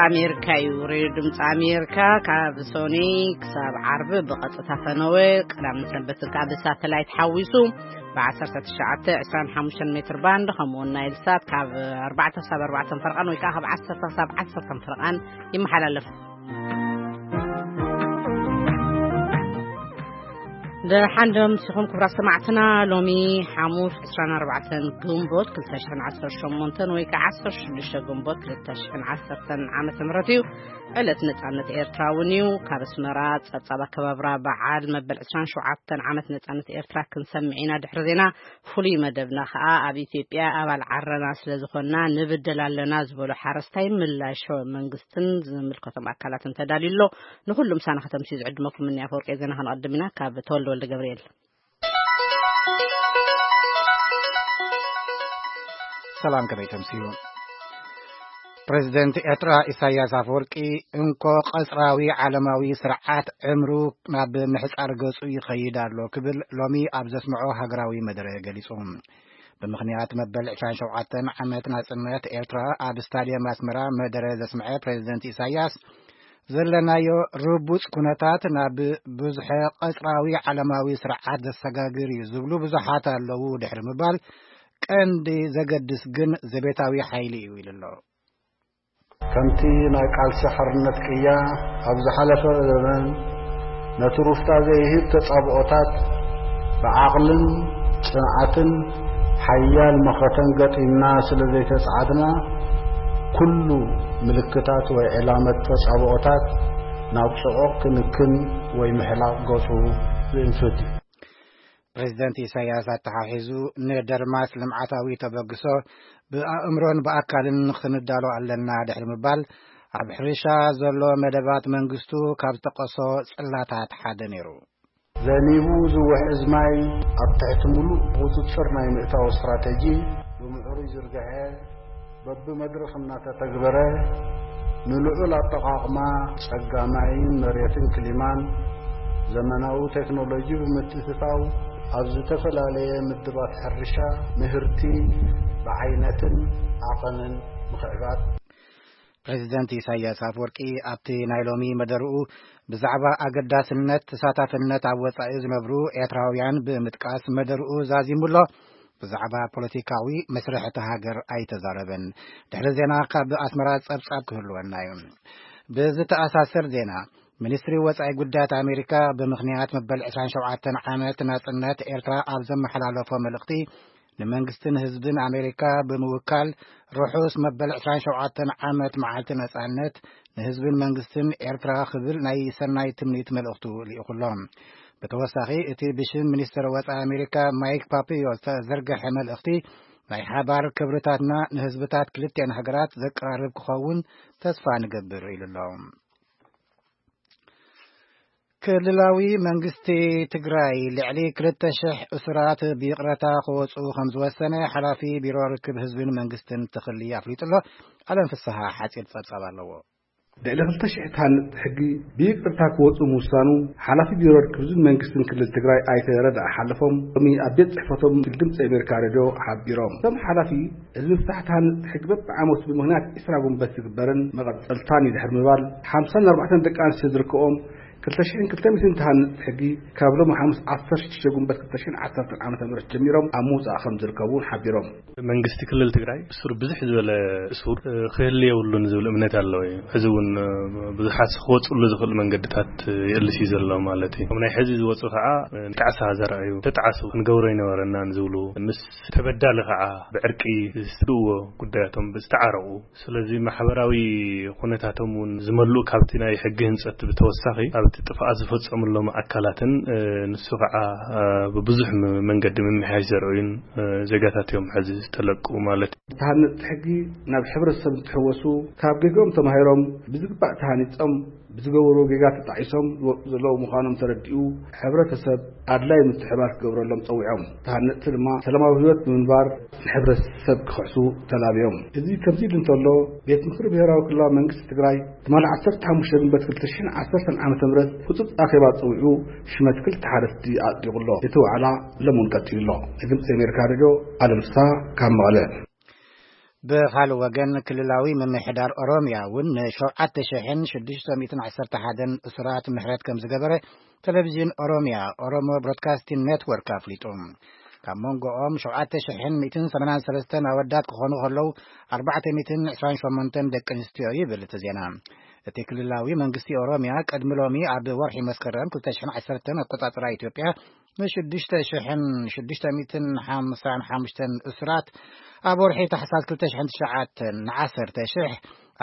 ኣሜሪካ እዩ። ሬድዮ ድምፂ ኣሜሪካ ካብ ሶኒ ክሳብ ዓርቢ ብቐጥታ ፈነወ፣ ቀዳምን ሰንበትን ከዓ ብሳተላይት ሓዊሱ ብ19፣ 25 ሜትር ባንድ፣ ከምኡውን ናይል ሳት ካብ ኣርባዕተ ክሳብ ኣርባዕተ ፈርቓን ወይ ከዓ ካብ ዓሰርተ ክሳብ ዓሰርተ ፈርቓን ይመሓላለፍ። ደሓን ዶ ምሲኹም ክቡራት ሰማዕትና? ሎሚ ሓሙስ ዕስራን ኣርባዕተን ግንቦት ክልተ ሽሕን ዓሰርተ ሸሞንተን ወይ ከዓ ዓሰርተ ሽዱሽተ ግንቦት ክልተ ሽሕን ዓሰርተን ዓመተ ምህረት እዩ። ዕለት ነጻነት ኤርትራ እውን እዩ። ካብ ኣስመራ ጸብጻብ ኣከባብራ በዓል መበል ዕስራን ሸውዓተን ዓመት ነጻነት ኤርትራ ክንሰምዕ ኢና። ድሕሪ ዜና ፍሉይ መደብና ከኣ ኣብ ኢትዮጵያ ኣባል ዓረና ስለ ዝኾንና ንብደል ኣለና ዝበሉ ሓረስታይ ምላሽ መንግስትን ዝምልከቶም ኣካላትን ተዳልዩ ኣሎ። ንኹሉ ምሳና ከተምስዩ ዝዕድመኩም እኒ ኣፈወርቂ ዜና ከነቐድም ኢና። ካብ ተወልደ ወልደ ገብርኤል። ሰላም፣ ከመይ ተምስዩ? ፕሬዚደንት ኤርትራ ኢሳያስ ኣፈወርቂ፣ እንኮ ቀጽራዊ ዓለማዊ ስርዓት ዕምሩ ናብ ምሕጻር ገጹ ይኸይድ ኣሎ ክብል ሎሚ ኣብ ዘስምዖ ሃገራዊ መደረ ገሊጹ። ብምኽንያት መበል ዕስራን ሸውዓተን ዓመት ናጽነት ኤርትራ ኣብ ስታድየም ኣስመራ መደረ ዘስምዐ ፕሬዚደንት ኢሳያስ፣ ዘለናዮ ርቡጽ ኩነታት ናብ ብዙሐ ቀጽራዊ ዓለማዊ ስርዓት ዘሰጋግር እዩ ዝብሉ ብዙሓት ኣለዉ ድሕሪ ምባል፣ ቀንዲ ዘገድስ ግን ዘቤታዊ ሓይሊ እዩ ኢሉ ኣሎ። ከምቲ ናይ ቃልሲ ሓርነት ቅያ ኣብ ዝሓለፈ ዘመን ነቲ ሩፍታ ዘይህብ ተጻብኦታት ብዓቕልን ጽንዓትን ሓያል መኸተን ገጢምና ስለ ዘይተጻዓድና፣ ኩሉ ምልክታት ወይ ዕላመት ተጻብኦታት ናብ ጽዑቕ ክንክን ወይ ምሕላቕ ገጹ ዝእንፍት እዩ። ፕሬዚደንት ኢሳያስ ኣተሓሒዙ፣ ንደርማስ ልምዓታዊ ተበግሶ ብኣእምሮን ብኣካልን ክንዳሎ ኣለና ድሕሪ ምባል፣ ኣብ ሕርሻ ዘሎ መደባት መንግስቱ ካብ ዝጠቀሶ ጽላታት ሓደ ነይሩ። ዘኒቡ ዝውሕዝ ማይ ኣብ ትሕቲ ምሉእ ቁጽጽር ናይ ምእታው ስትራተጂ ብምዕሩይ ዝርግሐ፣ በብመድረኽ እናተተግበረ፣ ንልዑል ኣጠቓቕማ ጸጋ ማይን መሬትን ክሊማን፣ ዘመናዊ ቴክኖሎጂ ብምትእትታው፣ ኣብ ዝተፈላለየ ምድባት ሕርሻ ምህርቲ ብዓይነትን ዓቐንን ምኽዕባት። ፕሬዚደንት ኢሳያስ ኣፈወርቂ ኣብቲ ናይ ሎሚ መደርኡ ብዛዕባ ኣገዳስነት ተሳታፍነት ኣብ ወጻኢ ዝነብሩ ኤርትራውያን ብምጥቃስ መደርኡ ዛዚሙ ኣሎ። ብዛዕባ ፖለቲካዊ መስርሕ እታ ሃገር ኣይተዛረበን። ድሕሪ ዜና ካብ ኣስመራ ጸብጻብ ክህልወና እዩ። ብዝተኣሳሰር ዜና፣ ሚኒስትሪ ወጻኢ ጉዳያት ኣሜሪካ ብምኽንያት መበል ዕስራን ሸውዓተን ዓመት ናጽነት ኤርትራ ኣብ ዘመሓላለፎ መልእኽቲ፣ ንመንግስትን ህዝብን ኣሜሪካ ብምውካል፣ ርሑስ መበል ዕስራን ሸውዓተን ዓመት መዓልቲ ነጻነት ንህዝብን መንግስትን ኤርትራ ክብል ናይ ሰናይ ትምኒት መልእኽቱ ልኢኹ ኣሎ። ብተወሳኺ፣ እቲ ብሽም ሚኒስትር ወጻኢ ኣሜሪካ ማይክ ፖምፔዮ ዝተዘርግሐ መልእኽቲ፣ ናይ ሓባር ክብርታትና ንህዝብታት ክልቲኣን ሃገራት ዘቀራርብ ክኸውን ተስፋ ንገብር ኢሉ ኣሎ። ክልላዊ መንግስቲ ትግራይ ልዕሊ ክልተ ሽሕ እሱራት ብይቕረታ ክወፁ ከም ዝወሰነ ሓላፊ ቢሮ ርክብ ህዝብን መንግስትን ትኽሊ ኣፍሊጡ ኣሎ። ኣለም ፍስሃ ሓፂር ጸብጻብ ኣለዎ። ልዕሊ ክልተ ሽሕ ተሃነፅቲ ሕጊ ብይቅርታ ክወፁ ምውሳኑ ሓላፊ ቢሮ ርክብ ህዝብን መንግስትን ክልል ትግራይ ኣይተ ረዳ ሓለፎም ሎሚ ኣብ ቤት ፅሕፈቶም ድምፂ ኣሜሪካ ሬድዮ ሓቢሮም። እቶም ሓላፊ፣ እዚ ምፍታሕ ተሃነፅቲ ሕጊ በብዓመቱ ብምኽንያት ዒስራ ጉንበት ዝግበርን መቐፀልታን እዩ ድሕሪ ምባል፣ ሓምሳን ኣርባዕተን ደቂ ኣንስትዮ ዝርከቦም ክልተ ሽሕን ክልተ ሚእትን ተሃነፅቲ ሕጊ ካብ ሎሚ ሓሙስ ዓሰርተ ሽዱሽተ ጉንበት ክልተ ሽሕን ዓሰርተን ዓመተ ምህረት ጀሚሮም ኣብ ምውፃእ ከም ዝርከቡ እውን ሓቢሮም። መንግስቲ ክልል ትግራይ እሱር ብዙሕ ዝበለ እሱር፣ እ፣ ክህሉ የብሉን ዝብል እምነት ኣለዎ እዩ። ሕዚ እውን፣ እ፣ ብዙሓት ክወፅሉ ዝኽእል መንገድታት፣ እ፣ የእልስ እዩ ዘሎ ማለት እዩ። ኣብ ናይ ሕዚ ዝወፁ ከዓ፣ እ፣ ጣዕሳ ዘርኣዩ፣ ተጣዕሱ ክንገብሮ ኣይነበረናን ዝብሉ ምስ ተበዳሊ ከዓ ብዕርቂ ዝስትእዎ ጉዳያቶም ዝተዓረቑ። ስለዚ ማሕበራዊ ኩነታቶም እውን ዝመልኡ ካብቲ ናይ ሕጊ ህንፀት ብተወሳኺ ኣብቲ ጥፍኣት ዝፈፀሙሎም ኣካላትን፣ እ፣ ንሱ ከዓ፣ እ፣ ብብዙሕ ም-፣ መንገዲ ምምሕያሽ ዘርእዩን፣ እ፣ ዜጋታት እዮም ሕዚ ዝተለቁ ማለት እዩ። ዝተሃነፅቲ ሕጊ ናብ ሕብረተሰብ እንትሕወሱ ካብ ጌግኦም ተማሂሮም ብዝግባእ ተሃኒፆም ብዝገበርዎ ጌጋ ተጣዒሶም ዝወፁ ዘለዉ ምዃኖም ተረዲኡ፣ ሕብረተሰብ ኣድላይ ምትሕባር ክገብረሎም ጸዊዖም። ተሃነፅቲ ድማ ሰላማዊ ህይወት ብምንባር ንሕብረተሰብ ክኽሕሱ ተላብዮም። እዚ ከምዚ ኢሉ እንተሎ፣ ቤት ምኽሪ ብሄራዊ ክልላዊ መንግስቲ ትግራይ ትማሊ ዓሰርተ ሓሙሽተ ግንቦት ክልተ ሽሕን ዓሰርተን ዓመተ ምህረት ህጹጽ ኣኼባ ጸዊዑ ሽመት ክልተ ሓረስቲ ኣጽዲቑ ኣሎ። እቲ ዋዕላ ሎሚ እውን ቀጺሉ ኣሎ። ንድምጺ ኣሜሪካ ሬድዮ ኣለም ፍስሃ ካብ መቐለ። ብኻልእ ወገን፣ ክልላዊ ምምሕዳር ኦሮምያ እውን ን7,611 እሱራት ምሕረት ከም ዝገበረ ቴሌቪዥን ኦሮምያ፣ ኦሮሞ ብሮድካስቲንግ ኔትወርክ፣ ኣፍሊጡ። ካብ መንጎኦም 7,183 ኣወዳት ክኾኑ ከለዉ፣ 428 ደቂ ኣንስትዮ ይብል እቲ ዜና። እቲ ክልላዊ መንግስቲ ኦሮምያ ቅድሚ ሎሚ ኣብ ወርሒ መስከረም 2010 ኣቆጻጽራ ኢትዮጵያ ን6,655 እሱራት፣ ኣብ ወርሒ ታሕሳስ 2009 ን10,000፣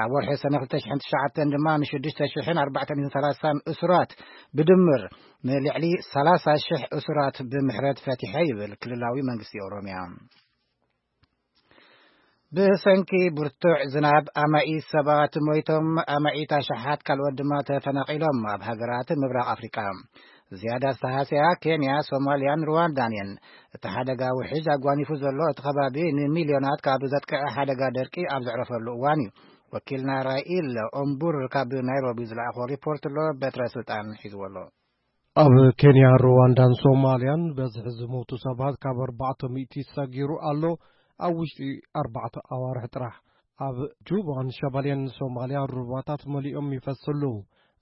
ኣብ ወርሒ ሰነ 2009 ድማ ን6,430 እሱራት፣ ብድምር ንልዕሊ 30,000 እሱራት ብምሕረት ፈቲሐ ይብል ክልላዊ መንግስቲ ኦሮምያ። ብሰንኪ ብርቱዕ ዝናብ ኣማኢት ሰባት ሞይቶም፣ ኣማኢት ኣሽሓት ካልኦት ድማ ተፈናቒሎም ኣብ ሃገራት ምብራቕ ኣፍሪቃ። ዝያዳ ዝተሃስያ ኬንያ፣ ሶማልያን ሩዋንዳን እየን። እቲ ሓደጋ ውሕጅ ኣጓኒፉ ዘሎ እቲ ከባቢ ንሚልዮናት ካብ ዘጥቅዐ ሓደጋ ደርቂ ኣብ ዘዕረፈሉ እዋን እዩ። ወኪልና ራኢል ኦምቡር ካብ ናይሮቢ ዝለኣኾ ሪፖርት ኣሎ፣ በትረ ስልጣን ሒዝዎ ኣሎ። ኣብ ኬንያ፣ ሩዋንዳን ሶማልያን በዝሒ ዝሞቱ ሰባት ካብ ኣርባዕተ ሚእቲ ሰጊሩ ኣሎ፣ ኣብ ውሽጢ ኣርባዕተ ኣዋርሕ ጥራሕ። ኣብ ጁባን ሸባሌን ሶማልያ ሩባታት መሊኦም ይፈስሉ።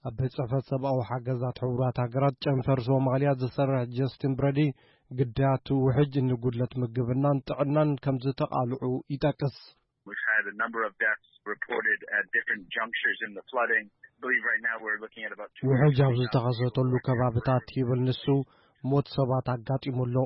ኣብ ቤት ጽሕፈት ሰብኣዊ ሓገዛት ሕቡራት ሃገራት ጨንፈር ሶማልያ ዝሰርሕ ጀስቲን ብረዲ፣ ግዳያት ውሕጅ ንጉድለት ምግብናን ጥዕናን ከም ዝተቓልዑ ይጠቅስ። We've had a number of deaths reported at different junctures in the flooding. I believe right now we're looking at about ውሕጅ ኣብ ዝተኸሰተሉ ከባብታት ይብል ንሱ፣ ሞት ሰባት ኣጋጢሙ ኣሎ።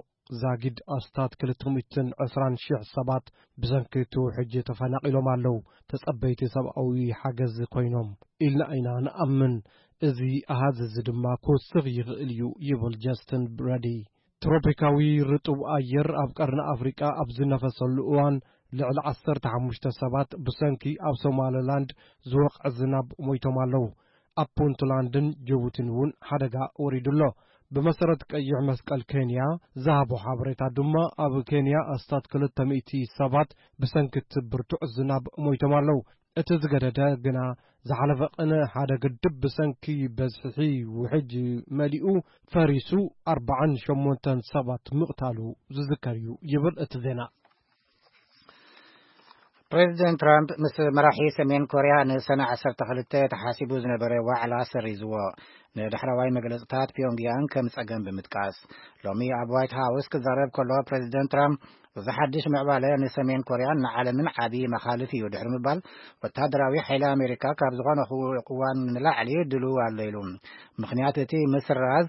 ዛጊድ ኣስታት 220,000 ሰባት ብሰንኪ እቲ ውሕጅ ተፈናቒሎም ኣለዉ። ተጸበይቲ ሰብኣዊ ሓገዝ ኮይኖም ኢልና ኢና ንኣምን። እዚ ኣሃዝ እዚ ድማ ክውስኽ ይኽእል እዩ ይብል ጀስትን ብረዲ። ትሮፒካዊ ርጡብ ኣየር ኣብ ቀርኒ ኣፍሪቃ ኣብ ዝነፈሰሉ እዋን፣ ልዕሊ 15 ሰባት ብሰንኪ ኣብ ሶማሊላንድ ዝወቕዐ ዝናብ ሞይቶም ኣለዉ። ኣብ ፑንትላንድን ጅቡቲን እውን ሓደጋ ወሪዱ ኣሎ። ብመሰረት ቀይሕ መስቀል ኬንያ ዝሃቦ ሓበሬታ ድማ፣ ኣብ ኬንያ ኣስታት 200 ሰባት ብሰንኪ እቲ ብርቱዕ ዝናብ ሞይቶም ኣለዉ። እቲ ዝገደደ ግና፣ ዝሓለፈ ቅነ ሓደ ግድብ ብሰንኪ በዝሒ ውሕጅ መሊኡ ፈሪሱ፣ ኣርባዓን ሸሞንተን ሰባት ምቕታሉ ዝዝከር እዩ ይብል እቲ ዜና። ፕሬዚደንት ትራምፕ ምስ መራሒ ሰሜን ኮርያ ንሰነ 12 ተሓሲቡ ዝነበረ ዋዕላ ሰሪዝዎ፣ ንዳሕረዋይ መግለጽታት ፒዮንግያንግ ከም ጸገም ብምጥቃስ። ሎሚ ኣብ ዋይት ሃውስ ክዛረብ ከሎ፣ ፕሬዚደንት ትራምፕ፣ "እዚ ሓድሽ ምዕባለ ንሰሜን ኮርያን ንዓለምን ዓቢ መኻልፍ እዩ" ድሕሪ ምባል፣ ወታደራዊ ሓይሊ ኣሜሪካ ካብ ዝኾነ ክው-፣ እዋን ንላዕሊ ድሉው ኣሎ ኢሉ። ምኽንያት እቲ ምስራዝ፣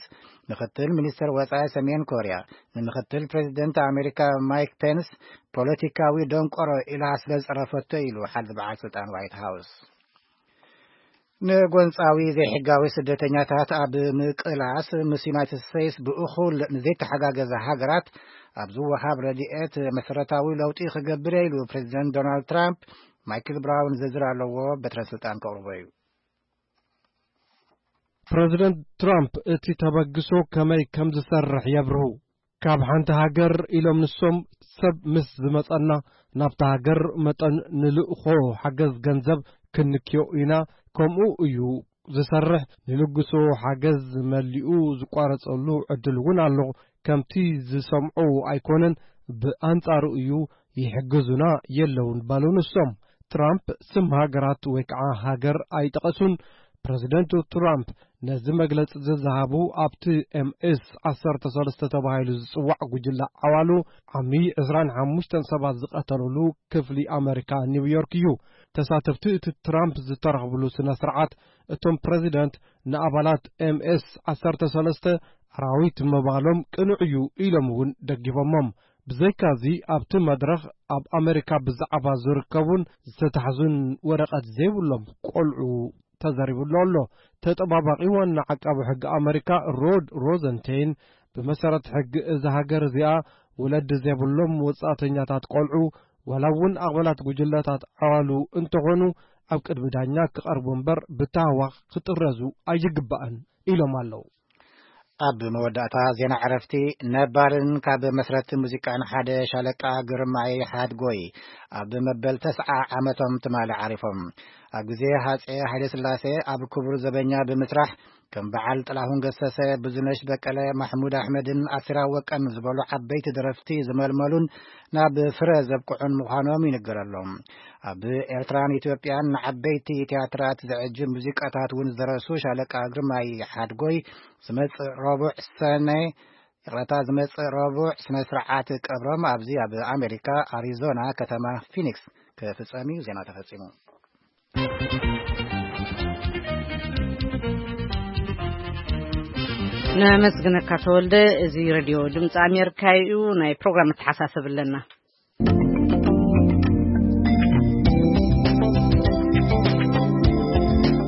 ምኽትል ሚኒስትር ወጻኢ ሰሜን ኮርያ ንምኽትል ፕሬዚደንት ኣሜሪካ ማይክ ፔንስ፣ "ፖለቲካዊ ደንቆሮ" ኢላ ስለ ዝጸረፈቶ ኢሉ ሓልቲ በዓል ስልጣን ዋይት ሃውስ። ንጎንጻዊ ዘይሕጋዊ ስደተኛታት ኣብ ምቅላስ፣ ምስ ዩናይትድ ስቴትስ ብእኹል ንዘይተሓጋገዛ ሃገራት ኣብ ዝወሃብ ረድኤት መሰረታዊ ለውጢ ክገብር እየ ኢሉ ፕሬዚደንት ዶናልድ ትራምፕ። ማይክል ብራውን ዝርዝር ኣለዎ፣ በትረ ስልጣን ከቕርቦ እዩ። ፕሬዚደንት ትራምፕ እቲ ተበግሶ ከመይ ከም ዝሰርሕ የብርሁ። "ካብ ሓንቲ ሃገር" ኢሎም ንሶም፣ "ሰብ ምስ ዝመጸና፣ ናብታ ሃገር መጠን ንልእኾ ሓገዝ ገንዘብ ክንክዮ ኢና። ከምኡ እዩ ዝሰርሕ። ንልግሶ ሓገዝ መሊኡ ዝቋረጸሉ ዕድል እውን ኣሎ። ከምቲ ዝሰምዑ ኣይኮነን፣ ብኣንጻሩ እዩ፣ ይሕግዙና የለውን" በሉ ንሶም። ትራምፕ ስም ሃገራት ወይ ከዓ ሃገር ኣይጠቐሱን። ፕሬዚደንት ትራምፕ ነዚ መግለጺ ዝዝሃቡ ኣብቲ ኤምኤስ 13 ተባሂሉ ዝጽዋዕ ጉጅለ ዓዋሉ ዓሚ 25 ሰባት ዝቐተሉሉ ክፍሊ ኣመሪካ ኒውዮርክ እዩ። ተሳተፍቲ እቲ ትራምፕ ዝተረኽብሉ ስነ ስርዓት፣ እቶም ፕሬዚደንት ንኣባላት ኤምኤስ 13 ኣራዊት ምባሎም ቅኑዕ እዩ ኢሎም እውን ደጊፎሞም። ብዘይካዚ፣ ኣብቲ መድረኽ ኣብ ኣመሪካ ብዛዕባ ዝርከቡን ዝተታሕዙን ወረቐት ዘይብሎም ቆልዑ ተዘሪቡሉ ኣሎ። ተጠባባቒ ዋና ዓቃቢ ሕጊ ኣመሪካ ሮድ ሮዘንቴይን፣ ብመሰረት ሕጊ እዛ ሃገር እዚኣ፣ ወለዲ ዘይብሎም ወጻእተኛታት ቆልዑ፣ ዋላ እውን ኣባላት ጉጅለታት ዓዋሉ እንተኾኑ፣ ኣብ ቅድሚ ዳኛ ክቐርቡ እምበር ብታህዋኽ ክጥረዙ ኣይግባእን ኢሎም ኣለዉ። ኣብ መወዳእታ ዜና ዕረፍቲ፣ ነባርን ካብ መስረቲ ሙዚቃን ሓደ ሻለቃ ግርማይ ሓድጎይ ኣብ መበል ተስዓ ዓመቶም ትማሊ ዓሪፎም። ኣብ ግዜ ሃጼ ሃይለ ስላሴ ኣብ ክቡር ዘበኛ ብምስራሕ ከም በዓል ጥላሁን ገሰሰ፣ ብዙነሽ በቀለ፣ ማሕሙድ ኣሕመድን ኣሲራ ወቀን ዝበሉ ዓበይቲ ደረፍቲ ዝመልመሉን ናብ ፍረ ዘብቅዑን ምዃኖም ይንገረሎም። ኣብ ኤርትራን ኢትዮጵያን ንዓበይቲ ቲያትራት ዘዕጅብ ሙዚቃታት እውን ዝደረሱ ሻለቃ ግርማይ ሓድጎይ ዝመጽእ ረቡዕ ሰነ ይቕረታ፣ ዝመጽእ ረቡዕ ስነ ስርዓት ቀብሮም ኣብዚ ኣብ ኣሜሪካ ኣሪዞና ከተማ ፊኒክስ ክፍጸም እዩ። ዜና ተፈጺሙ። ነመስግነካ ተወልደ። እዚ ሬድዮ ድምፂ ኣሜሪካ እዩ። ናይ ፕሮግራም መተሓሳሰብ ኣለና።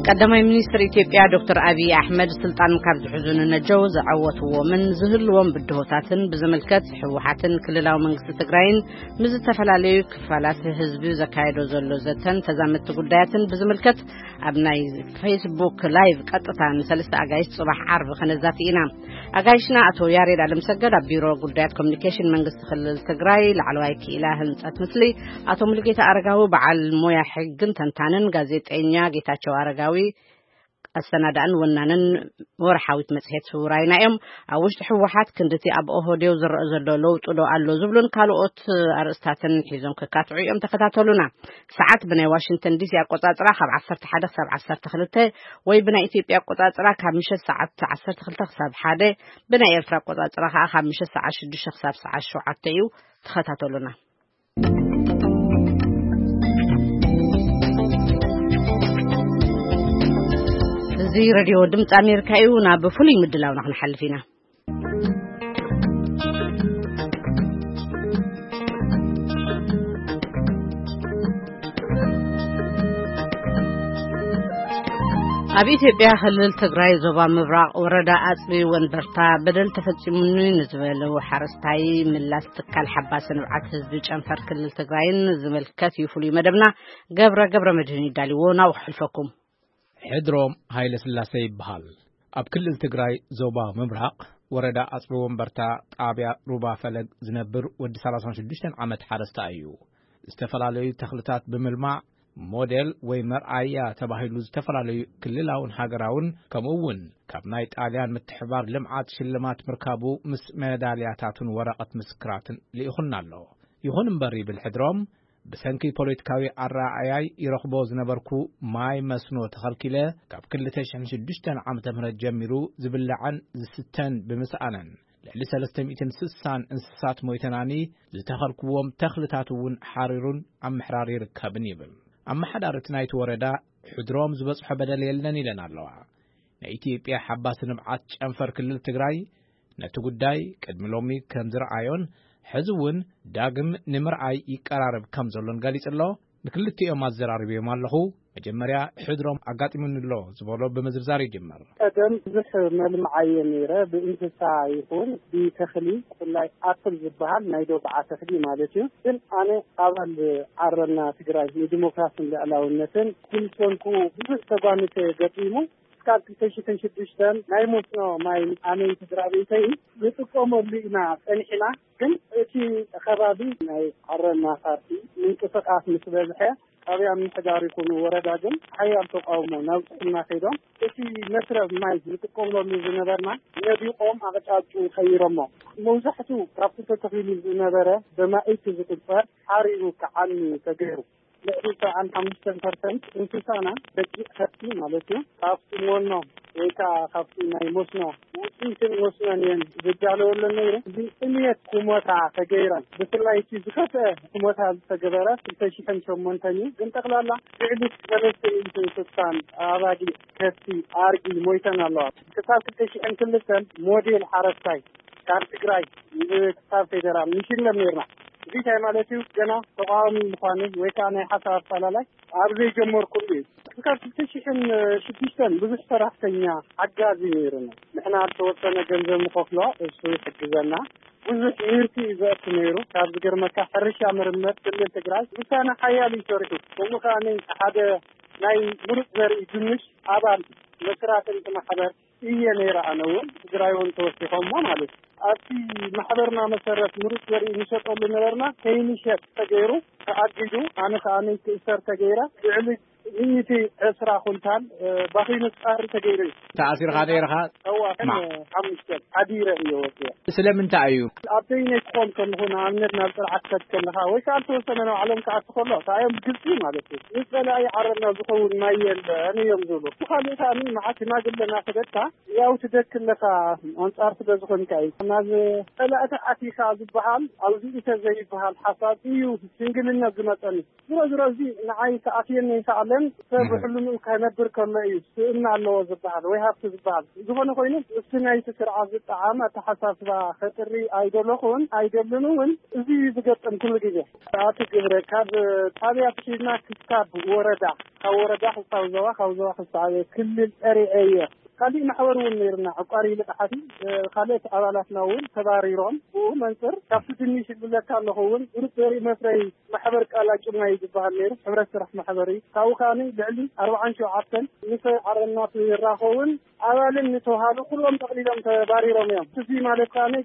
ቀዳማይ ሚኒስትር ኢትዮጵያ ዶክተር ኣብይ ኣሕመድ ስልጣን ካብ ዝሕዙ ንነጀው ዘዐወትዎምን ዝህልዎም ብድሆታትን ብዝምልከት፣ ህወሓትን ክልላዊ መንግስቲ ትግራይን ምስ ዝተፈላለዩ ክፋላት ህዝቢ ዘካየዶ ዘሎ ዘተን ተዛመድቲ ጉዳያትን ብዝምልከት፣ ኣብ ናይ ፌስቡክ ላይቭ ቀጥታ ንሰለስተ ኣጋይሽ ጽባሕ ዓርቢ ከነዛቲ ኢና። ኣጋይሽና ኣቶ ያሬድ ኣለምሰገድ ኣብ ቢሮ ጉዳያት ኮሚኒኬሽን መንግስቲ ክልል ትግራይ ላዕለዋይ ክኢላ ህንጸት ምስሊ፣ ኣቶ ሙሉጌታ ኣረጋዊ በዓል ሞያ ሕግን ተንታንን፣ ጋዜጠኛ ጌታቸው ኣረጋዊ ኣሰናዳእን ወናንን ወርሓዊት መጽሔት ውራይና እዮም። ኣብ ውሽጢ ህወሓት ክንድቲ ኣብ ኦህዴው ዝረአ ዘሎ ለውጢ ዶ ኣሎ ዝብሉን ካልኦት ኣርእስታትን ሒዞም ክካትዑ እዮም። ተኸታተሉና። ሰዓት ብናይ ዋሽንግተን ዲሲ ኣቆጻጽራ ካብ ዓሰርተ ሓደ ክሳብ ዓሰርተ ክልተ፣ ወይ ብናይ ኢትዮጵያ ኣቆጻጽራ ካብ ምሸት ሰዓት ዓሰርተ ክልተ ክሳብ ሓደ፣ ብናይ ኤርትራ ኣቆጻጽራ ከኣ ካብ ምሸት ሰዓት ሽዱሽተ ክሳብ ሰዓት ሸውዓተ እዩ። ተኸታተሉና። እዚ ሬድዮ ድምፂ ኣሜሪካ እዩ። ናብ ፍሉይ ምድላውና ክንሓልፍ ኢና። ኣብ ኢትዮጵያ ክልል ትግራይ ዞባ ምብራቕ ወረዳ ኣፅቢ ወንበርታ በደል ተፈፂሙኒ ንዝበሉ ሓረስታይ ምላስ ትካል ሓባሲ ንብዓት ህዝቢ ጨንፈር ክልል ትግራይን ዝምልከት እዩ ፍሉይ መደብና። ገብረ ገብረ መድህን ይዳልዎ፣ ናብኡ ክሕልፈኩም። ሕድሮም ሃይለ ስላሴ ይበሃል። ኣብ ክልል ትግራይ ዞባ ምብራቕ ወረዳ ኣፅቢ ወንበርታ ጣብያ ሩባ ፈለግ ዝነብር ወዲ ሰላሳን ሽዱሽተን ዓመት ሓረስታይ እዩ። ዝተፈላለዩ ተኽልታት ብምልማዕ ሞዴል ወይ መርኣያ ተባሂሉ ዝተፈላለዩ ክልላውን ሃገራውን ከምኡ እውን ካብ ናይ ጣልያን ምትሕባር ልምዓት ሽልማት ምርካቡ ምስ መዳልያታቱን ወረቐት ምስክራትን ልኢኹልና ኣሎ። ይኹን እምበር ይብል ሕድሮም፣ ብሰንኪ ፖለቲካዊ ኣረኣእያይ ይረኽቦ ዝነበርኩ ማይ መስኖ ተኸልኪለ፣ ካብ ክልተ ሽሕን ሽዱሽተን ዓመተ ምህረት ጀሚሩ ዝብላዕን ዝስተን ብምስኣነን፣ ልዕሊ ሰለስተ ሚእትን ስሳን እንስሳት ሞይተናኒ፣ ዝተኸልኩዎም ተኽልታት እውን ሓሪሩን ኣብ ምሕራር ይርከብን ይብል። ኣመሓዳሪ እቲ ናይቲ ወረዳ ሕድሮም ዝበጽሖ በደል የለን ኢለን ኣለዋ። ናይ ኢትዮጵያ ሓባሲ ንብዓት ጨንፈር ክልል ትግራይ ነቲ ጉዳይ ቅድሚ ሎሚ ከም ዝረኣዮን ሕዚ እውን ዳግም ንምርኣይ ይቀራረብ ከም ዘሎን ገሊጹ ኣሎ። ንክልቲኦም ኣዘራሪበዮም ኣለኹ። መጀመርያ ሕድሮም ኣጋጢሙኒ ኣሎ ዝበሎ ብምዝርዛር ይጅመር። ቀደም ብዙሕ መልምዓየ ነይረ፣ ብእንስሳ ይኹን ብተኽሊ፣ ብፍላይ ኣፕል ዝበሃል ናይ ዶብዓ ተኽሊ ማለት እዩ። ግን ኣነ ኣባል ዓረና ትግራይ ንዲሞክራሲን ልዕላውነትን ክልሰንኩ ብዙሕ ተጓንተ ገጢሙ። እስካብ ክልተ ሽሕን ሽዱሽተን ናይ መስኖ ማይ ኣነይ ስድራ ቤተይ ንጥቀመሉ ኢና ጸኒሕና። ግን እቲ ከባቢ ናይ ዓረና ፓርቲ ምንቅስቃስ ምስ በዝሐ፣ ጣብያ ምምሕዳር ይኹን ወረዳ ግን ሓያል ተቃውሞ ናብ ጥዕና ከይዶም፣ እቲ መስረብ ማይ ዝጥቀመሉ ዝነበርና ነዲቆም ኣቕጫጭኡ ቀይሮሞ። መብዛሕቱ ካብቲ ተተኺሉ ዝነበረ ብማእቲ ዝቁጸር ሓሪሩ ክዓኑ ተገይሩ። ልዕሊ ሰብዓን ሓሙሽተን ፐርሰንት እንስሳና፣ በጊዕ፣ ከብቲ ማለት እዩ፣ ካብቲ ሞኖ ወይ ከዓ ካብቲ ናይ መስኖ ውፅኢትን መስኖን እየን ዝዳለወለን ነይሩ። እዚ ጥምየት ክሞታ ተገይረን። ብፍላይ እቲ ዝኸፍአ ክሞታ ዝተገበረ ክልተ ሽሕን ሸሞንተን እዩ። ግን ጠቕላላ ልዕሊ ሰለስተ ሚእትን ስሳን ኣባጊዕ፣ ከብቲ፣ ኣርጊ ሞይተን ኣለዋ። ክሳብ ክልተ ሽሕን ክልተን ሞዴል ሓረስታይ ካብ ትግራይ ክሳብ ፌደራል ንሽለም ነይርና። እዚ እንታይ ማለት እዩ? ገና ተቃዋሚ ምዃነይ ወይ ከዓ ናይ ሓሳብ ኣፈላላይ ኣብ ዘይጀመርኩሉ እዩ። ክሳብ ክልተ ሽሕን ሽዱሽተን ብዙሕ ሰራሕተኛ ሓጋዚ ነይሩና። ንሕና ዝተወሰነ ገንዘብ ንኸፍሎ፣ እሱ ይሕግዘና። ብዙሕ ምህርቲ እዩ ዘእቱ ነይሩ። ካብ ዝገርመካ፣ ሕርሻ ምርምር ክልል ትግራይ ውሳነ ሓያል እዩ ሰሪሑ። ከምኡ ከዓ ሓደ ናይ ምሩፅ ዘርኢ ድንሽ ኣባል መስራትን እቲ ማሕበር እየ ነይረ። ኣነ እውን ትግራይ እውን ተወሲኾሞ ማለት እዩ። ኣብቲ ማሕበርና መሰረት ምሩፅ ዘርኢ ንሸጠሉ ነበርና፣ ከይንሸጥ ተገይሩ ተኣጊዱ። ኣነ ከዓ ክእሰር ተገይረ። ልዕሊ ሚእቲ ዕስራ ኩንታል ባኺኑ ፃሪ ተገይሩ እዩ። ተኣሲርካ ነይርካ? እዋ። ሓሙሽተ ሓዲረ እየ ወፅየ። ስለምንታይ እዩ? ኣብ በይነይ ክኾን ከለኹ፣ ንኣብነት ናብ ፅርዓት ከድ ከለካ ወይ ከዓ ዝተወሰነ ንባዕሎም ክኣቱ ከሎ፣ እንታይ እዮም ብግልፂ ማለት እዩ፣ ንፀላኢ ዓረና ዝኸውን ማይ የለን እዮም ዝብሉ። ብካሊእ ከዓ መዓት ሽማግለና ክደካ ያው ትደክ ኣለካ፣ ኣንፃር ስለ ዝኾንካ እዩ። ናብ ፀላእቲ ኣቲካ ዝበሃል ኣብዚ ኢተ ዘይበሃል ሓሳብ እዩ ሽንግልነት ዝመፀኒ። ዝሮ ዝሮ እዚ ንዓይ ክኣትየኒ ይኽኣለን። ሰብ ሕልምኡ ከነብር ከሎ እዩ ስእና ኣለዎ ዝበሃል ወይ ሃብቲ ዝበሃል። ዝኾነ ኮይኑ፣ እቲ ናይቲ ስርዓት ዝጠዓም ኣተሓሳስባ ከጥሪ ኣይደለኹን ኣይደልን እውን። እዚ እዩ ዝገጥም ኩሉ ግዜ። ኣቲ ግብረ፣ ካብ ጣብያ ትሒዝና ክሳብ ወረዳ፣ ካብ ወረዳ ክሳብ ዞባ፣ ካብ ዞባ ክሳብ ክልል ፀሪዐ እየ። ካሊእ ማሕበር እውን ነይርና፣ ዕቋሪ ልቃሓቲ፣ ካልኦት ኣባላትና እውን ተባሪሮም። ብኡ መንፅር ካብቲ ድንሽ ዝብለካ ኣለኹ እውን፣ ግሩፕ ዘርኢ መፍረይ ማሕበር ቃላ ጭማ እዩ ዝበሃል ነይሩ፣ ሕብረት ስራሕ ማሕበር እዩ። ካብኡ ከዓኒ ልዕሊ ኣርባዓን ሸውዓተን ምስ ዓረናት ይራኸቡን ኣባልን ንተውሃሉ ኩሎም ጠቕሊሎም ተባሪሮም እዮም። እዚ ማለት ከዓኒ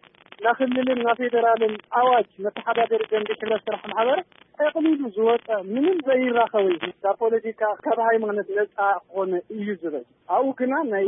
ናክልልን ናፌደራልን ኣዋጅ መተሓዳደሪ ደንቢ ሕብረት ስራሕ ማሕበር ጠቕሊሉ ዝወፀ፣ ምንም ዘይራኸብ እዩ። ካብ ፖለቲካ፣ ካብ ሃይማኖት ነፃ ክኾነ እዩ ዝብል። ኣብኡ ግና ናይ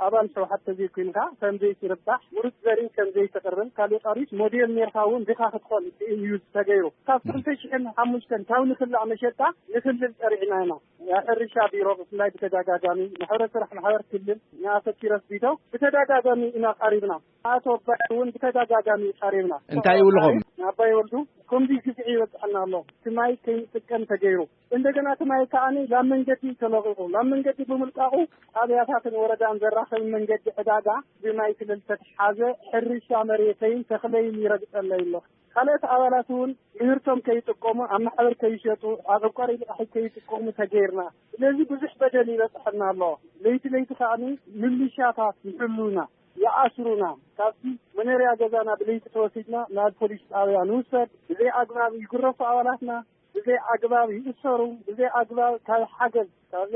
ኣባል ሕወሓት ተዘይኮይንካ ከም ዘይትርባሕ፣ ምሩፅ ዘርኢ ከም ዘይትቕርብ፣ ካልእ ቀሪስ ሞዴል ኔርካ እውን ድኻ ክትኾን እዩ ተገይሩ። ካብ ክልተ ሽሕን ሓሙሽተን ካብ ንክላእ መሸጣ ንክልል ፀሪዕና ኢና። ናይ ሕርሻ ቢሮ ብፍላይ ብተደጋጋሚ፣ ማሕበረ ስራሕ ማሕበር ክልል ንኣቶ ኪሮስ ቢተው ብተደጋጋሚ ኢና ቀሪብና። ኣቶ ኣባይ እውን ብተደጋጋሚ ቀሪብና። እንታይ ይብልኹም? ኣባይ ወልዱ፣ ከምዚ ግፍዒ ይበፅሐና ኣሎ። እቲ ማይ ከይንጥቀም ተገይሩ። እንደገና እቲ ማይ ከዓኒ ላብ መንገዲ ተለቂቑ። ላብ መንገዲ ብምልቃቑ ጣብያታትን ወረዳን ዘራኽብ መንገዲ ዕዳጋ ብማይ ስለ ዝተትሓዘ ሕርሻ መሬተይን ተኽለይን ይረግፀለይ ኣሎ። ካልኦት ኣባላት እውን ምህርቶም ከይጥቀሙ፣ ኣብ ማሕበር ከይሸጡ፣ ኣብ ዕቋሪ ልቃሒ ከይጥቀሙ ተገይርና። ስለዚ ብዙሕ በደል ይበፅሐና ኣሎ። ለይቲ ለይቲ ከዓኒ ምልሻታት ይሕሉና፣ ይኣስሩና። ካብቲ መኖርያ ገዛና ብለይቲ ተወሲድና ናብ ፖሊስ ጣብያ ንውሰድ። ብዘይ ኣግባብ ይግረፉ ኣባላትና፣ ብዘይ ኣግባብ ይእሰሩ፣ ብዘይ ኣግባብ ካብ ሓገዝ፣ ካብ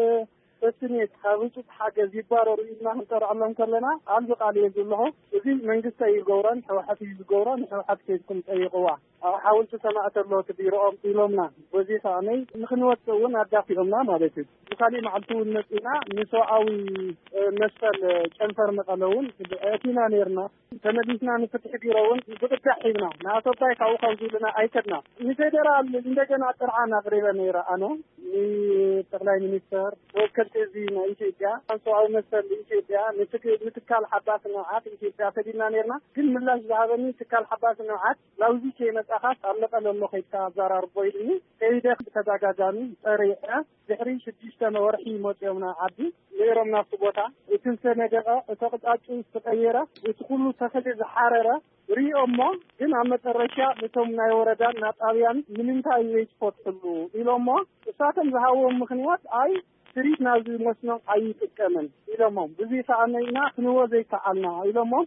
ሰስኔት፣ ካብ ህፁፅ ሓገዝ ይባረሩ ኢልና ክንጠርዐሎም ከለና፣ ቃል ብቃል እየ ዝብልኹ። እዚ መንግስቲ እዩ ዝገብሮ፣ ንሕወሓት እዩ ዝገብሮ፣ ንሕወሓት ከይድኩም ጠይቕዋ። ኣብ ሓወልቲ ሰማእቲ ኣሎ እቲ ቢሮኦም ኢሎምና። በዚ ከዓነይ ንክንወፅእ እውን ኣዳፊኦምና ማለት እዩ። ብካሊእ መዓልቲ እውን መፂና ንሰብኣዊ፣ እ፣ መሰል፣ እ፣ ጨንፈር መቐለ እውን ኣእቲና ነይርና። ተመሊስና ንፍትሒ ቢሮ እውን ብቕዳሕ ሂብና። ንኣቶ ኣባይ ካብኡ ካብ ዝብልና ኣይከድና። ንፌደራል እንደገና ጥርዓን ኣቕሪበ ነይረ ኣነ። ንጠቕላይ ሚኒስተር፣ ተወከልቲ ህዝቢ ናይ ኢትዮጵያ፣ ሰብኣዊ መሰል ኢትዮጵያ፣ ንትክ-፣ ንትካል ሓባሲ ንብዓት ኢትዮጵያ ሰዲድና ነይርና። ግን ምላሽ ዝሃበኒ ትካል ሓባሲ ንብዓት ላውዚ ከይመጻኻስ ኣብ መቐለ ኣሎ ከይድካ ኣዘራርቦ ኢሉኒ። ከይደ ብተደጋጋሚ ጸሪዐ። ድሕሪ ሽዱሽተ ወርሒ መጺኦም ናብ ዓዲ ነይሮም ናብቲ ቦታ። እቲ ዝተነደቐ፣ እቲ ኣቕጣጫ ዝተቐየረ፣ እቲ ኩሉ ተኽሊ ዝሓረረ ሪኦሞ፣ ግን ኣብ መጨረሻ ነቶም ናይ ወረዳን ናብ ጣብያን ንምንታይ ዘይትፈትሕሉ ኢሎሞ። እሳቶም ዝሃብዎም ምኽንያት ኣይ ስሪት ናብዚ መስኖ ኣይጥቀምን ኢሎሞም። ብዙ ከኣነይና ክንዎ ዘይከኣልና ኢሎሞም።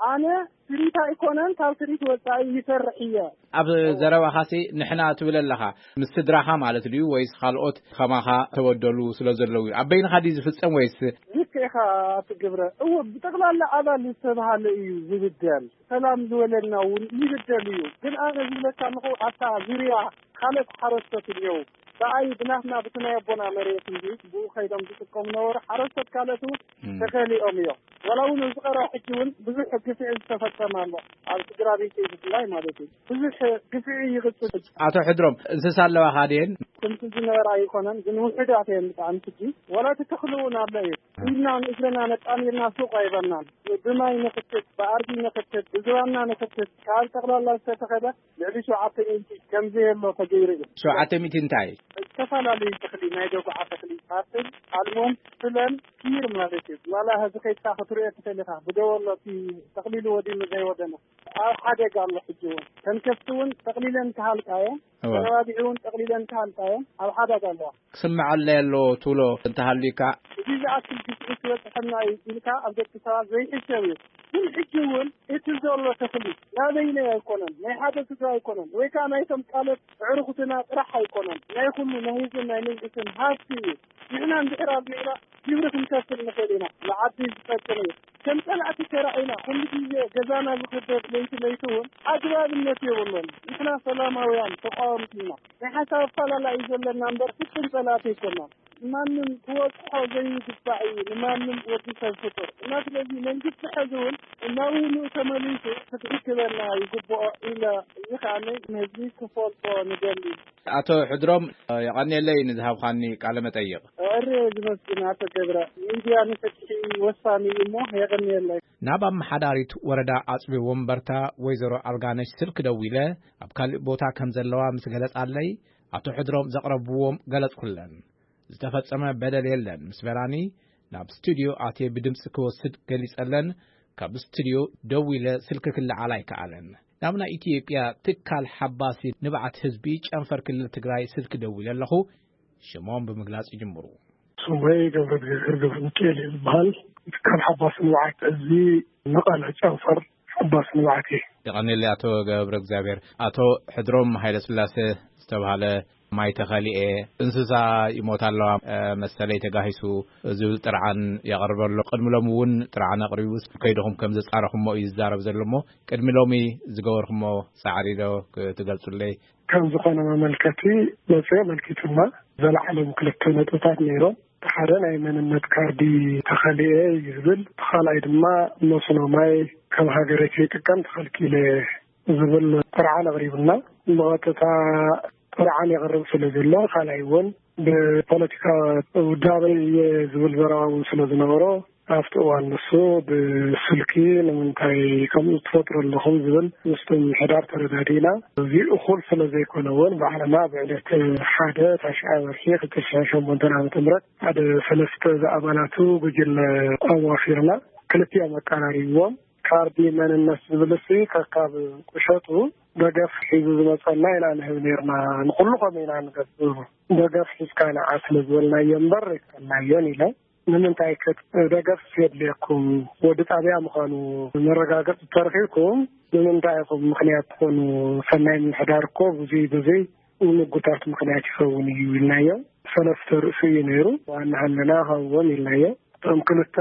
ኣነ ስሪት ኣይኮነን፣ ካብ ስሪት ወጻኢ ይሰርሕ እየ። ኣብ ዘረባኻሲ ንሕና ትብል ኣለኻ፣ ምስ ስድራኻ ማለት ድዩ ወይስ ካልኦት ከማኻ ተበደሉ ስለ ዘለዉ እዩ? ኣብ በይንኻ ድዩ ዝፍጸም ወይስ? ልክዕኻ ኣቲ ግብረ። እወ፣ ብጠቕላላ ኣባል ዝተብሃለ እዩ ዝብደል። ሰላም ዝበለና እውን ይብደል እዩ። ግን ኣነ ዝብለካ ኣለኹ፣ ኣብታ ዙርያ ካልኦት ሓረስቶት እኒአው። ብኣይ ብናትና ብቲ ናይ ኣቦና መሬት እንጂ ብኡ ከይዶም ዝጥቀሙ ነበሩ ሓረስቶት ካልኦት እውን እም። ተፈሊኦም እዮም። ዋላ እውን ኣብዚ ቀረባ ሕጂ እውን ብዙሕ ግፍዒ ዝተፈጸመ ኣሎ። ኣብ ስድራ ቤተይ ብፍላይ ማለት እዩ። ብዙሕ ግፍዒ ይቕጽል። ኣቶ ሕድሮም፣ እንስሳ ኣለዋኻ ድየን? ከምቲ ዝነበራ ኣይኮነን፣ ግን ውሑዳት እየን ብጣዕሚ ሕጂ። ዋላ እቲ ተኽሊ እውን ኣሎ እዩ። ኢድና ንእግርና ነጣሚርና ሱቕ ኣይበልናን። ብማይ ንኽትት፣ ብኣድጊ ንኽትት፣ ብዝባንና ንኽትት፣ ካብ ጠቕላላ ዝተተኸለ ልዕሊ ሸውዓተ ሚእቲ ከም ዘየሎ ተገይሩ እዩ። ሸውዓተ ሚእቲ እንታይ? ዝተፈላለዩ ተኽሊ፣ ናይ ደጉዓ ተኽሊ፣ ፓስል፣ ኣልሞን፣ ስለን፣ ኪር ማለት እዩ። ዋላ ህዚ ከይድካ ክትሪኦ ትኽእል ኢኻ። ብደወ ኣሎ እቲ ተኽሊሉ ወዲኑ ዘይወደነ። ኣብ ሓደጋ ኣሎ ሕጂ እውን። ከም ከፍቲ እውን ጠቕሊለን ክሃልቃ እየን። እወ። ተነባቢዑ እውን ጠቕሊለን ክሃልቃ እየን። ኣብ ሓደጋ ኣለዋ። ክስምዓለይ ኣለዎ ትብሎ እንተሃልዩካ? እዚ ዝኣክል ግፍዒ ክበፅሐና እዩ ኢልካ ኣብ ደቂ ሰባት ዘይሕሰብ እዩ። ግን ሕጂ እውን እቲ ዘሎ ተኽሊ ናበይናይ ኣይኮነን፣ ናይ ሓደ ስድራ ኣይኮነን፣ ወይ ከዓ ናይቶም ካልኦት ኣዕሩኽትና ጥራሕ ኣይኮነን፣ ናይ ኩሉ ናይ ህዝብን ናይ መንግስትን ሃብቲ እዩ። ንሕና እንድሕር ኣልሚዕና ግብሪ ክንከፍል ንኽእል ኢና። ንዓዲ ዝጠቅም እዩ። ከም ጸላእቲ ተራኢና ኩሉ ግዜ ገዛና ዝኽበብ ለይቲ ለይቲ እውን ኣግባብነት የብሉን። ንሕና ሰላማውያን ተቃወምቲ ኢና። ናይ ሓሳብ ኣፈላላይ እዩ ዘለና እምበር ፍጹም ጸላእቲ ኣይኮናን። ማንም ክወጽሖ ዘይግባእ እዩ፣ ንማንም ወዲ ሰብ ፍጡር እና ስለዚ መንግስቲ ሕዚ እውን እናብውኑ ተመሊሱ ክትርክበና ይግብኦ ኢለ እዚ ከዓኒ ንህዝቢ ክፈልጦ ንደሊ። ኣቶ ሕድሮም፣ የቐንየለይ ንዝሃብኻኒ ቃለ መጠይቕ። እረ ዝመስግን ኣቶ ገብረ፣ ሚድያ ንፍትሒ ወሳኒ እዩ እሞ የቐንየለይ። ናብ ኣመሓዳሪት ወረዳ ኣጽቢ ወንበርታ ወይዘሮ ኣልጋነሽ ስልክ ደዊለ፣ ኣብ ካልእ ቦታ ከም ዘለዋ ምስ ገለጻለይ፣ ኣቶ ሕድሮም ዘቕረብዎም ገለጽኩለን። ዝተፈጸመ በደል የለን ምስ በላኒ፣ ናብ ስቱድዮ ኣትየ ብድምጺ ክወስድ ገሊጸለን፣ ካብ ስቱድዮ ደዊለ ስልኪ ክለዓል ኣይከኣለን። ናብ ናይ ኢትዮጵያ ትካል ሓባሲ ንብዓት ህዝቢ ጨንፈር ክልል ትግራይ ስልኪ ደዊለ ኣለኹ። ሽሞም ብምግላጽ ይጅምሩ። ስመይ ገብረ እግዚኣብሔር ገብረ ሚካኤል እዩ ዝበሃል። ትካል ሓባሲ ንብዓት ህዝቢ መቐለ ጨንፈር ሓባሲ ንብዓት እዩ። የቐንየለይ ኣቶ ገብረ እግዚኣብሔር። ኣቶ ሕድሮም ሃይለ ስላሴ ዝተባህለ ማይ ተኸሊኤ፣ እንስሳ ይሞታ ኣለዋ፣ እ፣ መሰለይ ተጋሂሱ ዝብል ጥርዓን የቕርብ ኣሎ። ቅድሚ ሎሚ እውን ጥርዓን ኣቕሪቡ ከይድኹም ከም ዘጻረኹሞ እዩ ዝዛረብ ዘሎ እሞ፣ ቅድሚ ሎሚ ዝገበርኩሞ ጻዕሪ ዶ ክትገልጹለይ? ከም ዝኾነ መመልከቲ መጽዮ ኣመልኪቱና። ዘለዓሎም ክልተ ነጥብታት ነይሮም። እቲ ሓደ ናይ መንነት ካርዲ ተኸሊኤ እዩ ዝብል፣ እቲ ካልኣይ ድማ መስኖ ማይ ከም ሃገረይ ከይጥቀም ተኸልኪለ ዝብል ጥርዓን ኣቕሪቡና። ብቐጥታ ጥርዓን የቕርብ ስለ ዘሎ፣ ካልኣይ እውን ብፖለቲካ ውዳበ እየ ዝብል ዘረባ እውን ስለ ዝነበሮ፣ ኣብቲ እዋን ንሱ ብስልኪ ንምንታይ ከምኡ ትፈጥሩ ኣለኹም ዝብል ምስቲ ምምሕዳር ተረዳዲእና። እዚ እኹል ስለ ዘይኮነ እውን ባዕልና ብዕለት ሓደ ታሽዓይ ወርሒ ክልተ ሽሕን ሸሞንተን ዓመተ ምህረት ሓደ ሰለስተ ዝኣባላቱ ጉጅለ ኣዋፊርና ክልቲኦም ኣቀራሪብዎም። ካርዲ መንነት ዝብል እሲ ከካብ ቁሸቱ ደገፍ ሒዙ ዝመጸና ኢና ንህብ ነርና። ንኹሉ ከም ኢና ንገብር ደገፍ ሒዝካ ንዓ ስለ ዝበልናዮ እምበር ኣይከልናዮን ኢለ። ንምንታይ ከ ደገፍ የድልየኩም? ወዲ ጣብያ ምዃኑ መረጋገጺ ተረኺብኩም ንምንታይ ኢኹም ምኽንያት ትኾኑ? ሰናይ ምምሕዳር እኮ ብዙይ ብዙይ ንምጉታት ምኽንያት ይኸውን እዩ ኢልናዮ። ሰለስተ ርእሱ እዩ ነይሩ። ዋና ሃለና ሃብዎም ኢልናዮ። እቶም ክልተ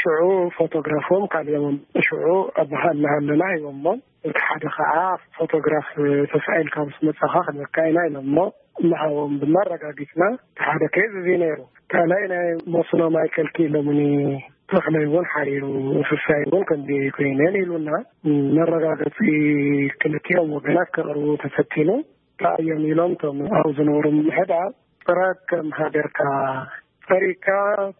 ሽዑ ፎቶግራፎም ካልኦምም ሽዑ ኣበሃልና ሃለና ሂቦሞ። እቲ ሓደ ከዓ ፎቶግራፍ ተሳኢልካ ምስ መጻኻ ክንበካ ኢና ኢሎሞ። እናሃቦም ድማ ኣረጋጊጽና። እቲ ሓደ ኬዝ እዚ ነይሩ። ካልኣይ ናይ መስኖ ማይ ከልኪ ኢሎምኒ። ተኽለይ እውን ሓሪሩ፣ እንስሳይ እውን ከምዚ ኮይነን ኢሉና። መረጋገጺ ክልቲኦም ወገናት ከቕርቡ ተፈቲኑ። እንታይ እዮም ኢሎም እቶም ኣብ ዝነበሩ ምምሕዳር፣ ጥረ ከም ሃገርካ ጸሪግካ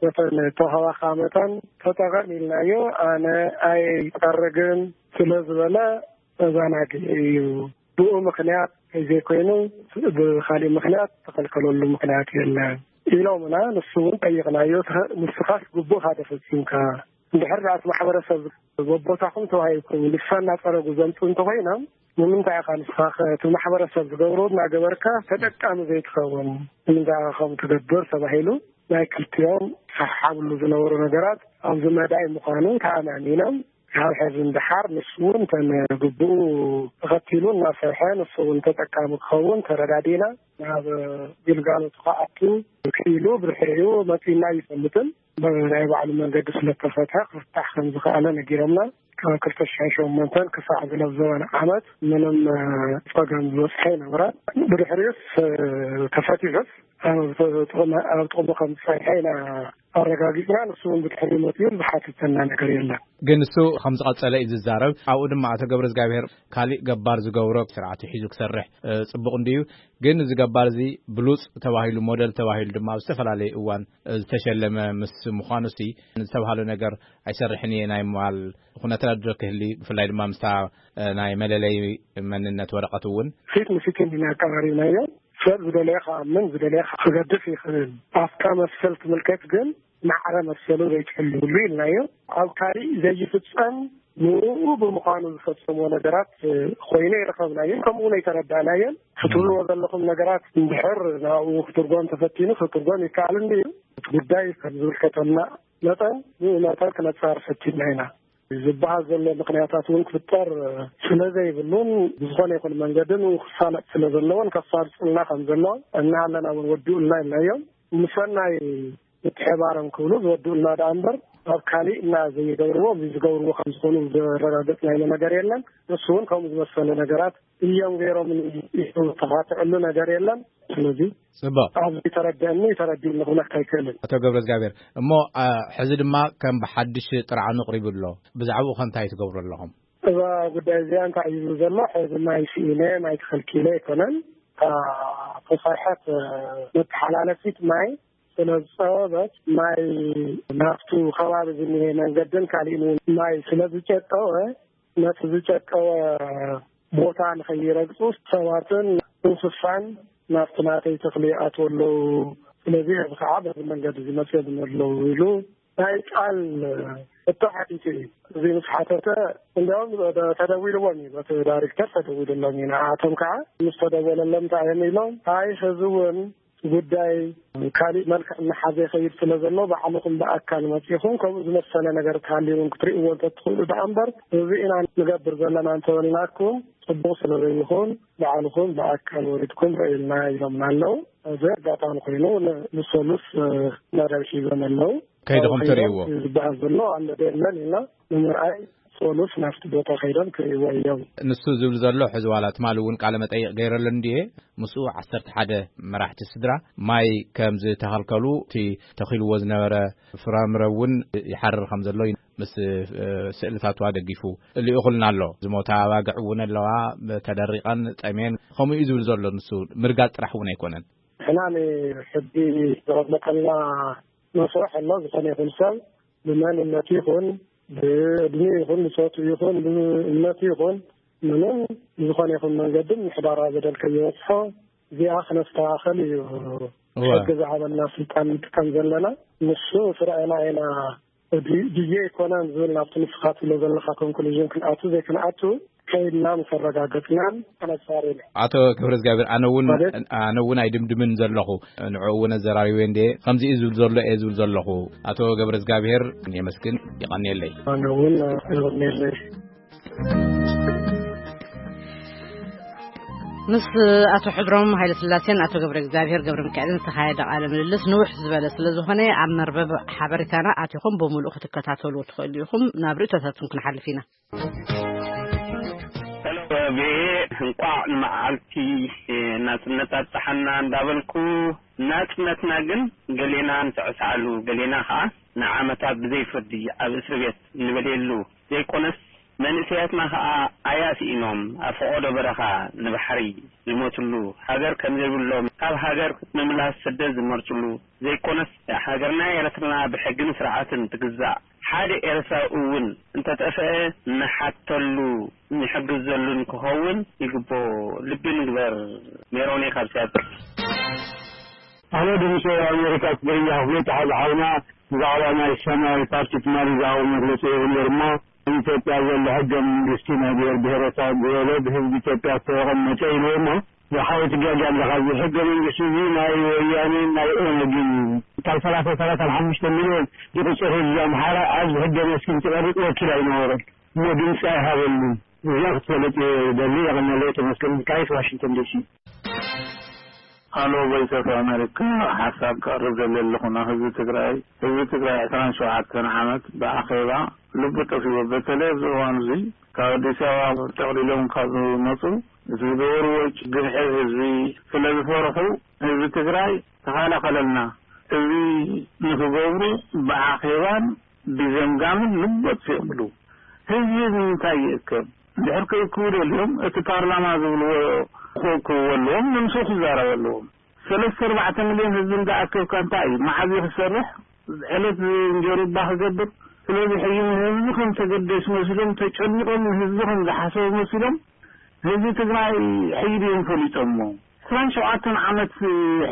በተን ተዋህባኻ መጠን ተጠቐም ኢልናዮ። ኣነ ኣይጸርግን ስለ ዝበለ ተዘናጊዑ እዩ። ብኡ ምኽንያት ዘይኮይኑ ብኻሊእ ምኽንያት ተኸልከለሉ ምኽንያት የለን ኢሎምና። ንሱ እውን ጠይቕናዮ፣ ንስኻስ ግቡእ ሓደ ፈጺምካ እንድሕር ደኣ እቲ ማሕበረሰብ በቦታኹም ተዋሂብኩም ልሳና ጸረጉ ዘምጽኡ እንተኾይኖም፣ ንምንታይ ኢኻ ንስኻ ከ እቲ ማሕበረሰብ ዝገብሮ እናገበርካ ተጠቃሚ ዘይትኸውን? ንምንታይ ኢኻ ከምኡ ትገብር? ተባሂሉ ናይ ክልቲኦም ዝሰሓሓብሉ ዝነበሩ ነገራት ኣብዚ መዳይ ምዃኑ ተኣማሚኖም። ካብ ሕዚ ንደሓር ንሱ እውን እተን ግብኡ ተኸቲሉ እናሰርሐ ንሱ እውን ተጠቃሚ ክኸውን ተረዳዲና ናብ ግልጋሎቱ ክኣቱ ክኢሉ ብድሕሪኡ መፂና ኣይፈልጥን። ብናይ ባዕሉ መንገዲ ስለተፈትሐ ክፍታሕ ከም ዝኸኣለ ነጊሮምና። ካብ ክልተ ሽሕን ሸሞንተን ክሳዕ ዝለብ ዘበን ዓመት ምንም ፀገም ዝበፅሐ ኣይነበረን። ብድሕሪኡስ ተፈቲሑስ ኣብ ጥቕሚ ከም ዝፀንሐ ኢና ኣረጋጊፅና። ንሱ እውን ብድሕሪ መፅኡ ዝሓተተና ነገር የለን። ግን እሱ ከም ዝቐፀለ እዩ ዝዛረብ። ኣብኡ ድማ ኣቶ ገብረ እግዚኣብሔር ካሊእ ገባር ዝገብሮ ስርዓት ሒዙ ክሰርሕ ፅቡቕ እንድዩ። ግን እዚ ገባር እዚ ብሉፅ ተባሂሉ፣ ሞደል ተባሂሉ ድማ ኣብ ዝተፈላለየ እዋን ዝተሸለመ ምስ ምዃኑ ሲ ዝተባህለ ነገር ኣይሰርሕን እየ ናይ ምባል ኩነታት ዶ ክህሊ፣ ብፍላይ ድማ ምስታ ናይ መለለይ መንነት ወረቐት እውን ፊት ንፊት ኢና ኣቀራሪብናዮ። ሰብ ዝደለየ ክኣምን ዝደለየ ክገድፍ ይኽእል። ኣፍካ መሰል ትምልከት ግን ማዕረ መሰሉ ዘይትሕልውሉ ኢልናዮ። ኣብ ካሊእ ዘይፍጸም ንኡ ብምዃኑ ዝፈጸሞ ነገራት ኮይኑ ይረኸብናዮን ከምኡ እውን ኣይተረዳእናዮን። ክትብልዎ ዘለኹም ነገራት እንድሕር ናብኡ ክትርጎም ተፈቲኑ ክትርጎም ይከኣል እንድዩ። እቲ ጉዳይ ከም ዝምልከተና መጠን ንኡ መጠን ክነጻር ፈቲና ኢና። ዝበሃል ዘሎ ምኽንያታት እውን ክፍጠር ስለ ዘይብሉን ብዝኾነ ይኹን መንገዲ ንኡ ክሳለጥ ስለ ዘለዎን ከፋርፅልና ከም ዘሎ እናሃለና እውን ወዲኡልና ኢልናዮም። ምሰናይ ምትሕባሮም ክብሉ ዝወድኡልና ደኣ እምበር ኣብ ካሊእ እና ዘይገብርዎ እዚ ዝገብርዎ ከም ዝኾኑ ዘረጋገጽናዮ ነገር የለን። እሱ እውን ከምኡ ዝመሰለ ነገራት እዮም ገይሮም። ተኻትዕሉ ነገር የለን። ስለዚ ጽቡቕ። ኣብዚ ተረድአኒ ተረዲእኒ ክብለካ ኣይክእልን። ኣቶ ገብረ እግዚኣብሔር፣ እሞ ሕዚ ድማ ከም ብሓድሽ ጥርዓኑ ኣቕሪቡ ኣሎ። ብዛዕባኡ ከ እንታይ ትገብሩ ኣለኹም? እዛ ጉዳይ እዚኣ እንታይ እዩ ዘሎ? ሕዚ ማይ ስኢነ ማይ ተኸልኪለ ኣይኮነን። እታ ተሰርሐት መተሓላለፊት ማይ ስለ ዝፀበበት ማይ ናብቱ ከባቢ ዝኒሀ መንገድን ካሊእን እውን ማይ ስለ ዝጨቀወ ነቲ ዝጨቀወ ቦታ ንኸይረግፁ ሰባትን እንስሳን ናብቲ ናተይ ተኽሊ ይኣትዉ ኣለዉ። ስለዚ እዚ ከዓ በዚ መንገዲ እዚ መፅኦም ኣለዉ ኢሉ ናይ ቃል ሕቶ ሓቲቱ እዩ። እዚ ምስ ሓተተ እንዲያውም ተደዊልዎም እዩ፣ በቲ ዳይሬክተር ተደዊልሎም እዩ። ንዓቶም ከዓ ምስ ተደወለሎም እንታይ እዮም ኢሎም? ኣይ ሕዚ እውን ጉዳይ ካሊእ መልክዕ እናሓዘ ይኸይድ ስለ ዘሎ ባዕልኹም ብኣካል መፂኹም ከምኡ ዝመሰለ ነገር ተሃልዩ እውን ክትርእይዎ እንተትኽእሉ ደኣ እምበር እዚ ኢና ንገብር ዘለና እንተበልናኩም ፅቡቕ ስለ ዘይኹን ባዕልኹም ብኣካል ወሪድኩም ረእዩልና ኢሎምና ኣለዉ። እዚ ኣጋጣሚ ኮይኑ ንሶሉስ መደብ ሒዞም ኣለዉ። ከይድኹም ትርእይዎ ዝበሃል ዘሎ ኣሎ ዶ የለን ኢልና ንምርኣይ ሶሉስ ናብቲ ቦታ ከይዶም ክርእይዎ እዮም። ንሱ ዝብል ዘሎ ሕዚ ዋላ ትማሊ እውን ቃለ መጠይቕ ገይረሉ እንድየ። ምስኡ ዓሰርተ ሓደ መራሕቲ ስድራ ማይ ከም ዝተኸልከሉ እቲ ተኺልዎ ዝነበረ ፍራምረ እውን ይሓርር ከም ዘሎ ምስ ስእልታቱ ኣደጊፉ ልኢኹልና ኣሎ። ዝሞታ ኣባግዕ እውን ኣለዋ ተደሪቐን ጠሜን ከምኡ እዩ ዝብል ዘሎ። ንሱ ምርጋጥ ጥራሕ እውን ኣይኮነን። ንሕና ንሕጊ ዘቐመጠልና መስርሕ ኣሎ። ዝኾነ ይኹን ሰብ ብመንነቱ ይኹን ብእድሜ ይኹን ብፆቱ ይኹን ብእምነቱ ይኹን ምንም ብዝኾነ ይኹን መንገዲ ምሕዳራዊ በደል ከይበፅሖ እዚኣ ክነስተኻኸል እዩ ሕጊ ዝሃበና ስልጣን ንጥቀም ዘለና። ንሱ ስርዕና ኢና ድየ ኣይኮነን ዝብል ናብቲ ንስኻ ትብሎ ዘለኻ ኮንክሉዥን ክንኣቱ ዘይክንኣቱ ከይድና ምስ ኣረጋገፅናን ኣነፃሪና። ኣቶ ገብረ እግዚኣብሔር ኣነ እውን ኣነ እውን ኣይድምድምን ዘለኹ ንዕኡ እውን ኣዘራሪበ እንደ ከምዚ እዩ ዝብል ዘሎ እየ ዝብል ዘለኹ። ኣቶ ገብረ እግዚኣብሔር የመስግን። ይቐንየለይ። ኣነ እውን ይቐንየለይ። ምስ ኣቶ ሕድሮም ሃይለስላሴን ኣቶ ገብረ እግዚኣብሔር ገብረ ሚካኤልን ዝተኻየደ ቃለ ምልልስ ንውሕ ዝበለ ስለ ዝኾነ ኣብ መርበብ ሓበሬታና ኣቲኹም ብምሉእ ክትከታተሉ ትኽእሉ ኢኹም። ናብ ርእቶታትኩም ክንሓልፍ ኢና። ቪኦኤ እንቋዕ ንመዓልቲ ናጽነት ኣብጽሓና እንዳበልኩ፣ ናጽነትና ግን ገሌና ንስዕስዓሉ፣ ገሌና ኸኣ ንዓመታት ብዘይ ፍርዲ ኣብ እስሪ ቤት ንበልየሉ ዘይኮነስ፣ መንእሰያትና ኸኣ ኣያ ስኢኖም ኣብ ፈቖዶ በረኻ ንባሕሪ ዝሞትሉ፣ ሃገር ከም ዘይብሎም ካብ ሃገር ምምላስ ስደት ዝመርጽሉ ዘይኮነስ፣ ሃገርና ኤርትራ ብሕግን ስርዓትን ትግዛእ፣ ሓደ ኤርትራዊ እውን እንተጠፍአ ንሓተሉ ንሕግዘሉን ክኸውን ይግብኦ። ልቢ ንግበር። ሜሮን እየ ካብ ሲያትል። ኣነ ድምፂ ኣሜሪካ ትግርኛ ክፍሊ ተሓዚ ሓውና ብዛዕባ ናይ ሰማያዊ ፓርቲ ትማሊ ዝሃቦ መግለፂ ይህብ ነይሩ እሞ ኣብ ኢትዮጵያ ዘሎ ሕገ መንግስቲ ናይ ብሔር ብሔረሰብ ዝበለ ብህዝቢ ኢትዮጵያ ዝተቐመጠ ኢልዎ እሞ ዝሓወይ ትጋጊ ኣለኻ። እዚ ሕገ መንግስቲ እዚ ናይ ወያኔን ናይ ኦነግን እዩ። ካብ ሰላሳ ሰላሳ ሓሙሽተ ሚልዮን ዝቑፅር ህዝቢ ኣምሓራ ኣብዚ ሕገ መስኪን ክቐርፅ ወኪል ኣይነበረን እሞ ድምፂ ኣይሃበሉን። እዚኣ ክትፈልጥ እየ ደሊ። የቐነለይ ተመስገን ሚካኤል ዋሽንግተን ዲሲ። ሃሎ ቮይስ ኦፍ ኣሜሪካ፣ ሓሳብ ከቕርብ ደሊ ኣለኹ ናብ ህዝቢ ትግራይ። ህዝቢ ትግራይ ዕስራን ሸውዓተን ዓመት ብኣኼባ ልቡ ጠፊዎ። በተለይ ኣብዚ እዋን እዚ ካብ ኣዲስ ኣበባ ጠቕሊሎም ካብ ዝመፁ እቲ ዝገበርዎ ግፍዒ ህዝቢ ስለ ዝፈርሑ ህዝቢ ትግራይ ተኸላኸለልና። እዚ ንክገብሩ ብኣኼባን ብዘምጋምን ልቦት ይብሉ። ህዝቢ ንምንታይ ይእከብ? ድሕር ክእክቡ ደልዮም እቲ ፓርላማ ዝብልዎ ክእክብዎ ኣለዎም፣ ንምስኡ ክዛረቡ ኣለዎም። ሰለስተ ኣርባዕተ ሚልዮን ህዝቢ እንዳኣከብካ እንታይ እዩ? መዓዝ እዩ ክሰርሕ? ዕለት እንጀሩ እባ ክገብር? ስለዚ ሕጂ ንህዝቢ ከም ተገደሱ መሲሎም፣ ተጨኒቖም ንህዝቢ ከም ዝሓሰቡ መሲሎም፣ ህዝቢ ትግራይ ሕጂ ድዮም ፈሊጦሞ? ዕስራን ሸውዓተን ዓመት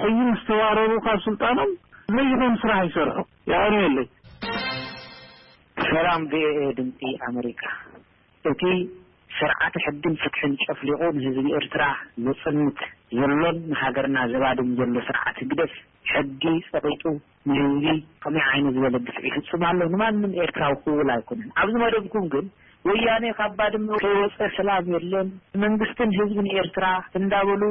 ሕጂ ምስ ተባረሩ ካብ ስልጣኖም ዘይኾን ስራሕ ይሰርሑ። የቐንየለይ። ሰላም ቪኦኤ ድምፂ ኣመሪካ። እቲ ስርዓተ ሕግን ፍትሕን ጨፍሊቑ ንህዝቢ ኤርትራ ዘጽንት ዘሎን ንሃገርና ዘባድም ዘሎ ስርዓት ህግደፍ ሕጊ ጸቒጡ ንህዝቢ ከመይ ዓይነት ዝበለ ግፍዒ ይፍጽም ኣሎ ንማንም ኤርትራዊ ክውል ኣይኮነን። ኣብዚ መደብኩም ግን ወያኔ ካብ ባድመ ከይወጸ ሰላም የለን፣ መንግስትን ህዝብን ኤርትራ እንዳበሉ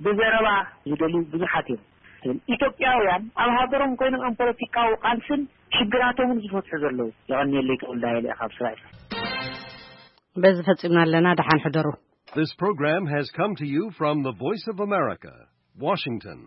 ብዘረባ ዝደልዩ ብዙሓት እዮም። ኢትዮጵያውያን ኣብ ሃገሮም ኮይኖም እዮም ፖለቲካዊ ቃልስን ሽግራቶምን ዝፈትሑ ዘለዉ። የቐንየለይ ተወልዳ ኢለ ካብ ስራይ። በዚ ፈጺምና ኣለና። ደሓን ሕደሩ። This program has come to you from the Voice of America, Washington.